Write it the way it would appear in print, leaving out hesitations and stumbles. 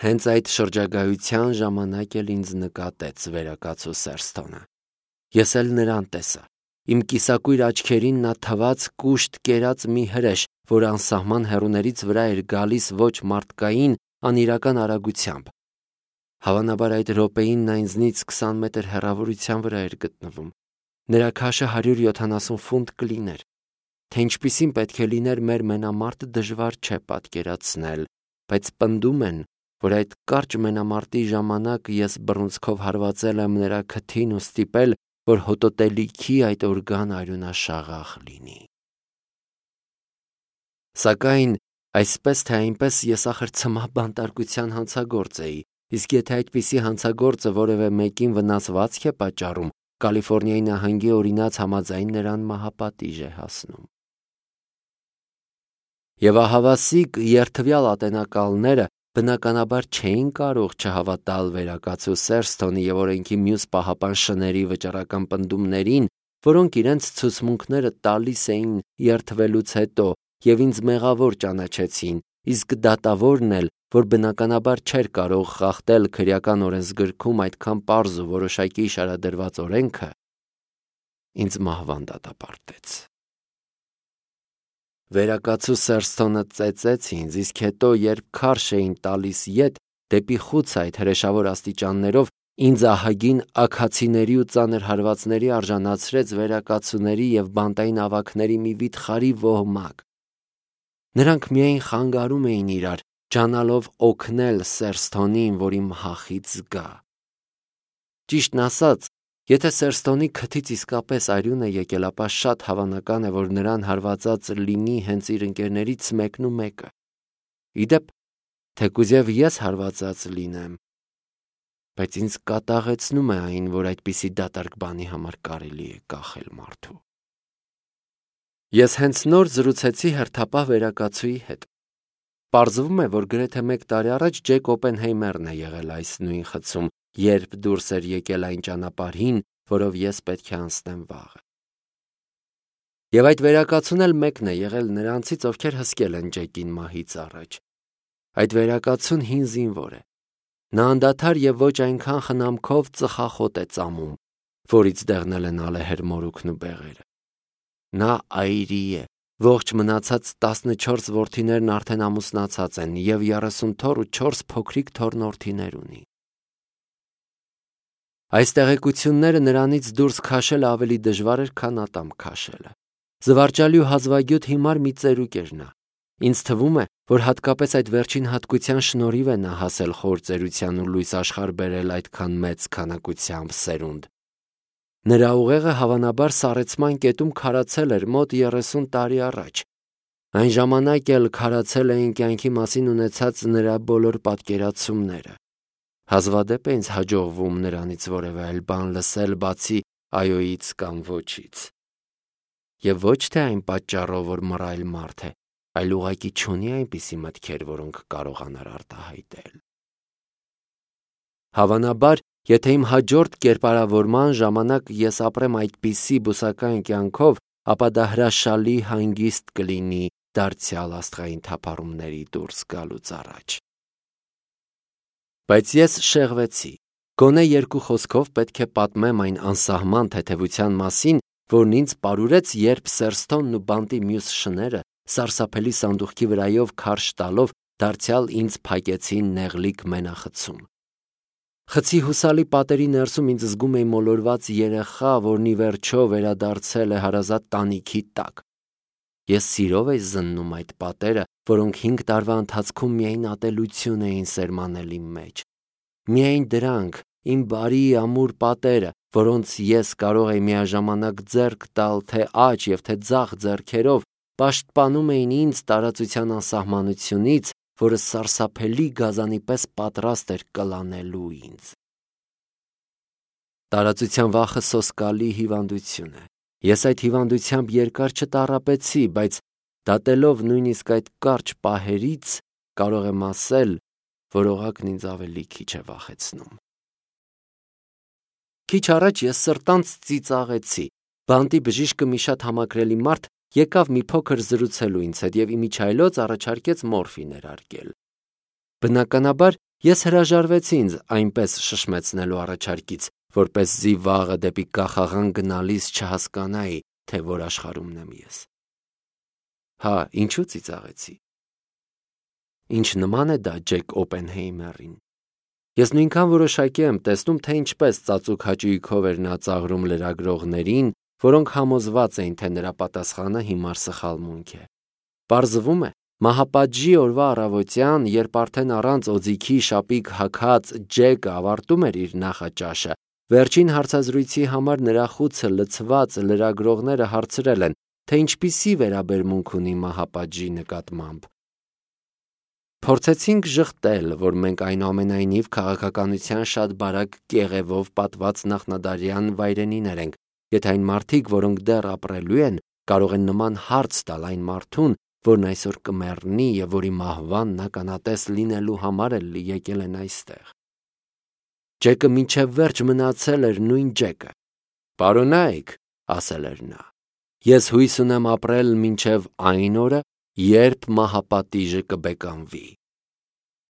Հենց այդ շրջագայության ժամանակ էլ ինձ նկատեց վերակացու Սերստոնը։ Ես էլ նրան տեսա։ Իմ կիսակույր աչքերին նա թվաց կուշտ կերած մի հրեշ, որ անսահման հեռուներից վրա էր գալիս ոչ մարդկային, անիրական արագությամբ։ Հավանաբար այդ րոպեին նա ինձնից 20 մետր հեռավորության վրա էր գտնվում։ Նրա քաշը 170 ֆունտ կլիներ։ Թե ինչպիսին պետք է լիներ մեր մենամարտը դժվար չէ պատկերացնել, բայց պնդում են, որ այդ կարճ մենամարտի ժամանակ ես բռունցքով հարվածել եմ նրա քթին ու ստիպել, որ հոտոտելիքի այդ օրգան արյունաշաղախ լինի։ Սակայն այսպես թե այնպես ես ախր ցմահ բանտարկության հանցագործ էի, իսկ եթե այդպիսի հանցագործը որևէ մեկին վնասվածք է պատճառում, Կալիֆոռնիայի նահանգի օրինաց համաձայն նրան մահապատիժ է հասնում։ Եվ ահավասիկ երթվյալ ատենակալները բնականաբար չէին կարող չհավատալ վերակացու Սերստոնի և օրենքի մյուս պահապան շների վճռական պնդումներին, որոնք իրենց ցուցմունքները տալիս էին երթվելուց հետո և ինձ մեղավոր ճանաչեցին, իսկ դատավորն էլ, որ բնականաբար չէր կարող խախտել քրեական օրենսգրքում այդքան պարզ ու որոշակի շարադրված օրենքը, ինձ մահվան դատապարտեց։ Վերակացու Սերստոնը ծեծեց ինձ, իսկ հետո, երբ քարշ էին տալիս ետ, դեպի խուց այդ հրեշավոր աստիճաններով ինձ ահագին աքացիների ու ծանր հարվածների արժանացրեց վերակացուների և բանտային ավագների մի վիթխարի ոհմակ։ Նրանք միայն խանգարում էին իրար, ջանալով օգնել Սերստոնին, որ իմ հախից զգա։ Ճիշտն ասած, եթե Սերստոնի քթից իսկապես արյուն է եկել, ապա շատ հավանական է, որ նրան հարվածած լինի հենց իր ընկերներից մեկն ու մեկը։ Ի դեպ, թեկուզև ես հարվածած լինեմ, բայց ինձ կատաղեցնում է այն, որ այդպիսի դատարկ բանի համար կարելի է կախել մարդու։ Ես հենց նոր զրուցեցի հերթապահ վերակացուի հետ։ Պարզվում է, որ գրեթե 1 տարի առաջ Ջեք Օպենհեյմերն է եղել այս նույն խցում, երբ դուրս էր եկել այն ճանապարհին, որով ես պետք է անցնեմ վաղը։ Եվ այդ վերակացուն էլ մեկն է եղել նրանցից, ովքեր հսկել են Ջեկին մահից առաջ։ Այդ վերակացուն հին զինվոր է։ Նա անդադար և ոչ այնքան խնամքով ծխախոտ է ծամում, որից դեղնել են ալեհեր մորուքն ու բեղերը։ Նա այրի է, ողջ մնացած 14 որդիներն արդեն ամուսնացած են և 30 թոռ ու 4 փոքրիկ թոռնորդիներ ունի։ Այս տեղեկությունները նրանից դուրս քաշելը ավելի դժվար էր, քան ատամ քաշելը։ Զվարճալի ու հազվագյուտ հիմար մի ծերուկ էր նա։ Ինձ թվում է, որ հատկապես այդ վերջին հատկության շնորհիվ է նա հասել խոր ծերության ու լույս աշխարհ բերել այդքան մեծ քանակությամբ սերունդ։ Նրա ուղեղը հավանաբար սառեցման կետում քարացել էր մոտ 30 տարի առաջ։ Այն ժամանակ էլ քարացել էին կյանքի մասին ունեցած նրա բոլոր պատկերացումները։ Հազվադեպ է ինձ հաջողվում նրանից որևէ այլ բան լսել, բացի այոյից կամ ոչից։ Եվ ոչ թե այն պատճառով, որ մռայլ մարդ է, այլ ուղղակի չունի այնպիսի մտքեր, որոնք կարողանար արտահայտել։ Հավանաբար, եթե իմ հաջորդ կերպարավորման ժամանակ ես ապրեմ այդպիսի բուսական կյանքով, ապա դա հրաշալի հանգիստ կլինի դարձյալ աստղային թափառումների դուրս գալուց առաջ։ Բայց ես շեղվեցի։ Գոնե 2 խոսքով պետք է պատմեմ այն անսահման թեթևության մասին, որն ինձ պարուրեց, երբ Սերստոնն ու բանտի մյուս շները սարսափելի սանդուղքի վրայով քարշ տալով դարձյալ ինձ փակեցին նեղլիկ մենախցում։ Խցի հուսալի պատերի ներսում ինձ զգում էի մոլորված երեխա, որն ի վերջո վերադարձել է հարազատ տանիքի տակ։ Ես սիրով էի զննում այդ պատերը, որոնք 5 տարվա ընթացքում միայն ատելություն էին սերմանել իմ մեջ։ Միայն դրանք, իմ բարի ամուր պատերը, որոնց ես կարող էի միաժամանակ ձեռք տալ թե աջ և թե ձախ ձեռքերով, պաշտպանում էին ինձ տարածության անսահմանությունից, որը սարսափելի գազանի պես պատրաստ էր կլանելու ինձ։ Տարածության վախը սոսկալի հիվանդություն է։ Ես այդ հիվանդությամբ երկար չտառապեցի, բայց դատելով նույնիսկ այդ կարճ պահերից, կարող եմ ասել, որ օղակն ինձ ավելի քիչ է վախեցնում։ Քիչ առաջ ես սրտանց ծիծաղեցի։ Բանտի բժիշկը մի շատ համակրելի մարդ եկավ մի փոքր զրուցելու ինձ հետ և իմիջիայլոց առաջարկեց մորֆի ներարկել։ Բնականաբար, Ես հրաժարվեցի ինձ այնպես շշմեցնելու առաջարկից, որպեսզի վաղը դեպի կախաղան գնալիս չհասկանայի, թե որ աշխարհումն եմ ես։ Հա, ինչու ծիծաղեցի։ Ինչ նման է դա Ջեք Օպենհեյմերին։ Ես նույնքան որոշակի եմ տեսնում, թե ինչպես ծածուկ հաճույքով էր նա ծաղրում լրագրողներին, որոնք համոզված էին, թե նրա պատասխանը հիմար սխալմունք է։ Պարզվում է, մահապատժի օրվա առավոտյան, երբ արդեն առանց օձիքի շապիկ հագած Ջեկը ավարտում էր իր նախաճաշը, վերջին հարցազրույցի համար նրա խուցը լցված լրագրողները հարցրել են, թե ինչպիսի վերաբերմունք ունի մահապատժի նկատմամբ։ Փորձեցինք ժխտել, որ մենք այնուամենայնիվ քաղաքականության շատ բարակ կեղևով պատված նախնադարյան վայրենիներ ենք, եթե այն մարդիկ, որոնք դեռ ապրելու են, կարող են նման հարց տալ այն մարդուն, որն այսօր կմեռնի և որի մահվան ականատես լինելու համար էլ եկել են այստեղ։ Ջեկը մինչև վերջ մնացել էր նույն Ջեկը։ «Պարոնայք», ասել էր նա, «ես հույս ունեմ ապրել մինչև այն օրը, երբ մահապատիժը կբեկանվի»։